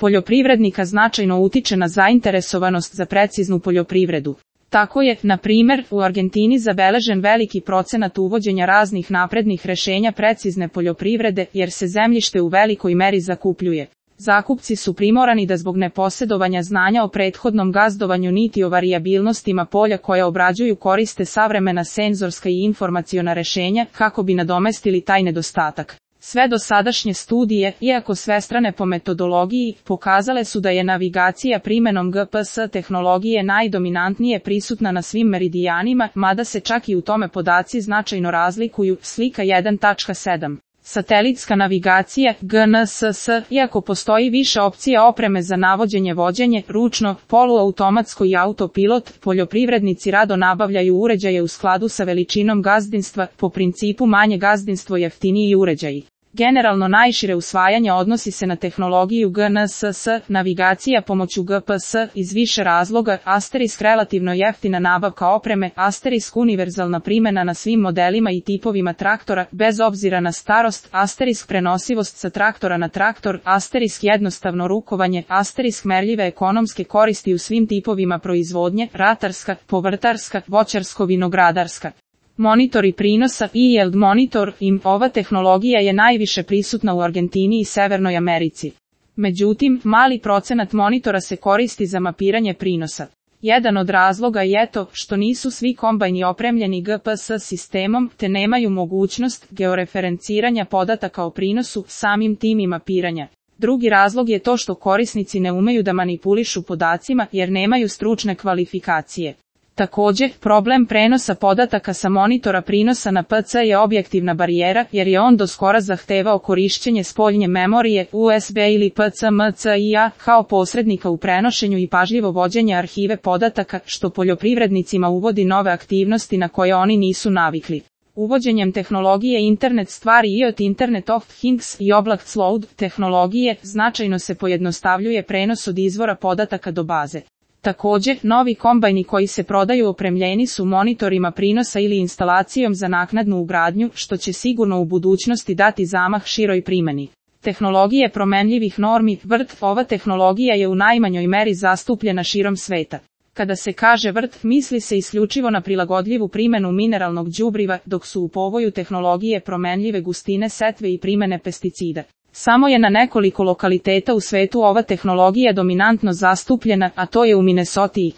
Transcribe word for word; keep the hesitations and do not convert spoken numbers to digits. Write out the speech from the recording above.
poljoprivrednika značajno utiče na zainteresovanost za preciznu poljoprivredu. Tako je, na primer, u Argentini zabeležen veliki procenat uvođenja raznih naprednih rešenja precizne poljoprivrede, jer se zemljište u velikoj meri zakupljuje. Zakupci su primorani da zbog neposjedovanja znanja o prethodnom gazdovanju niti o varijabilnostima polja koja obrađuju koriste savremena senzorska i informaciona rešenja kako bi nadomestili taj nedostatak. Sve dosadašnje studije, iako svestrane po metodologiji, pokazale su da je navigacija primenom G P S tehnologije najdominantnije prisutna na svim meridijanima, mada se čak i u tome podaci značajno razlikuju. Slika jedan tačka sedam. Satelitska navigacija, G N S S, iako postoji više opcija opreme za navođenje vođenje, ručno, poluautomatsko i autopilot, poljoprivrednici rado nabavljaju uređaje u skladu sa veličinom gazdinstva, po principu manje gazdinstvo jeftiniji uređaji. Generalno najšire usvajanje odnosi se na tehnologiju G N S S, navigacija pomoću G P S, iz više razloga, asterisk relativno jeftina nabavka opreme, asterisk univerzalna primjena na svim modelima i tipovima traktora, bez obzira na starost, asterisk prenosivost sa traktora na traktor, asterisk jednostavno rukovanje, asterisk merljive ekonomske koristi u svim tipovima proizvodnje, ratarska, povrtarska, voćarsko-vinogradarska. Monitori prinosa i Yield Monitor, I M, ova tehnologija je najviše prisutna u Argentini i Severnoj Americi. Međutim, mali procenat monitora se koristi za mapiranje prinosa. Jedan od razloga je to što nisu svi kombajni opremljeni G P S sistemom, te nemaju mogućnost georeferenciranja podataka o prinosu, samim tim i mapiranja. Drugi razlog je to što korisnici ne umeju da manipulišu podacima jer nemaju stručne kvalifikacije. Također, problem prenosa podataka sa monitora prinosa na P C je objektivna barijera, jer je on doskora zahtevao korišćenje spoljnje memorije, U S B ili P C M C I A, kao posrednika u prenošenju i pažljivo vođenje arhive podataka, što poljoprivrednicima uvodi nove aktivnosti na koje oni nisu navikli. Uvođenjem tehnologije Internet stvari I O T Internet of Things i Oblak Cloud tehnologije, značajno se pojednostavljuje prenos od izvora podataka do baze. Također, novi kombajni koji se prodaju opremljeni su monitorima prinosa ili instalacijom za naknadnu ugradnju, što će sigurno u budućnosti dati zamah široj primjeni. Tehnologije promenljivih normi, V R T, ova tehnologija je u najmanjoj meri zastupljena širom sveta. Kada se kaže V R T, misli se isključivo na prilagodljivu primjenu mineralnog đubriva, dok su u povoju tehnologije promenljive gustine setve i primjene pesticida. Samo je na nekoliko lokaliteta u svetu ova tehnologija dominantno zastupljena, a to je u Minnesoti.